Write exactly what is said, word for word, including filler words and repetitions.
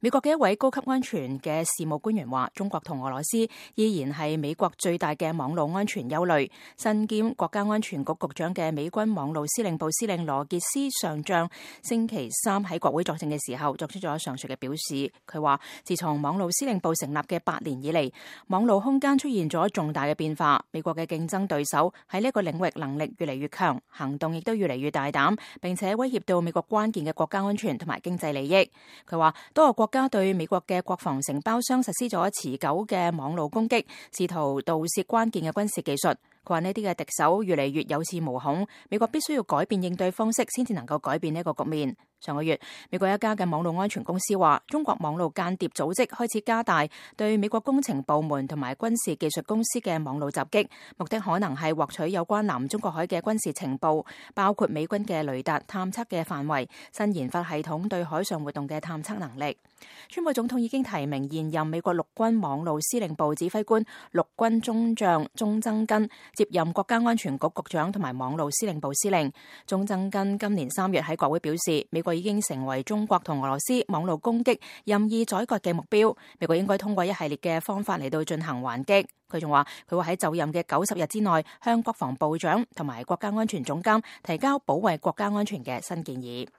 美國嘅一位高級安全嘅事務官員話，中國同俄羅斯依然係美國最大嘅網絡安全憂慮。身兼國家安全局局長嘅美軍網絡司令部司令羅傑斯上將星期三喺國會作證嘅時候作出咗上述嘅表示。佢話，自從網絡司令部成立嘅八年以嚟，網絡空間出現咗重大嘅變化。美國嘅競爭對手喺呢一個領域能力越嚟越強，行動亦都越嚟越大膽，並且威脅到美國關鍵嘅國家安全同埋經濟利益。佢話，多個國家對美國嘅國防承包商實施咗持久嘅網絡攻擊，試圖盜竊關鍵嘅軍事技術。佢話呢啲嘅敵手越嚟越有恃無恐，美國必須要改變應對方式，先至能夠改變呢一個局面。上個月，美國一家嘅網絡安全公司話，中國網絡間諜組織開始加大對美國工程部門同埋軍事技術公司嘅網絡襲擊，目的可能係獲取有關南中國海嘅軍事情報，包括美軍嘅雷達探測嘅範圍、新研發系統對海上活動嘅探測能力。川普總統已經提名現任美國陸軍網絡司令部指揮官陸軍中將鐘增根接任國家安全局局長同埋網絡司令部司令。鐘增根今年三月喺國會表示，美國已經成為中國同俄羅斯網絡攻擊任意宰割嘅目標，美國應該通過一系列嘅方法嚟到進行還擊。佢仲話，佢會喺就任嘅九十日之內向國防部長同埋國家安全總監提交保衛國家安全嘅新建議。